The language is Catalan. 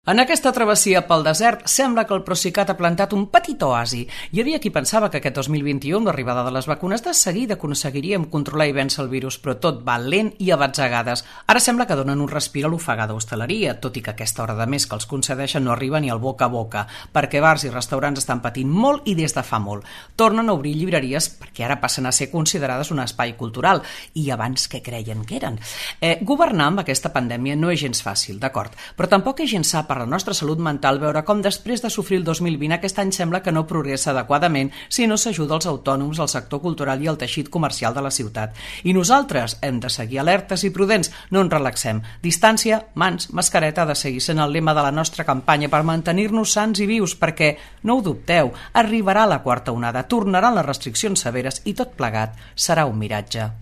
En aquesta travessia pel desert sembla que el Procicat ha plantat un petit oasi. Hi havia qui pensava que aquest 2021, amb l'arribada de les vacunes, de seguida aconseguiríem controlar i vèncer el virus, però tot va lent i a batzegades. Ara sembla que donen un respir a l'ofegada hostaleria, tot i que aquesta hora de més que els concedeixen no arriba ni al boca a boca, perquè bars i restaurants estan patint molt i des de fa molt. Tornen a obrir llibreries perquè ara passen a ser considerades un espai cultural, i abans què creien que eren? Governar amb aquesta pandèmia no és gens fàcil, d'acord, però tampoc és gens sa per la nostra salut mental veure com després de sofrir el 2020 aquest any sembla que no progressa adequadament si no s'ajuda els autònoms, el sector cultural i el teixit comercial de la ciutat. I nosaltres hem de seguir alertes i prudents, no ens relaxem. Distància, mans, mascareta ha de seguir sent el lema de la nostra campanya per mantenir-nos sants i vius, perquè, no ho dubteu, arribarà la quarta onada, tornaran les restriccions severes i tot plegat serà un miratge.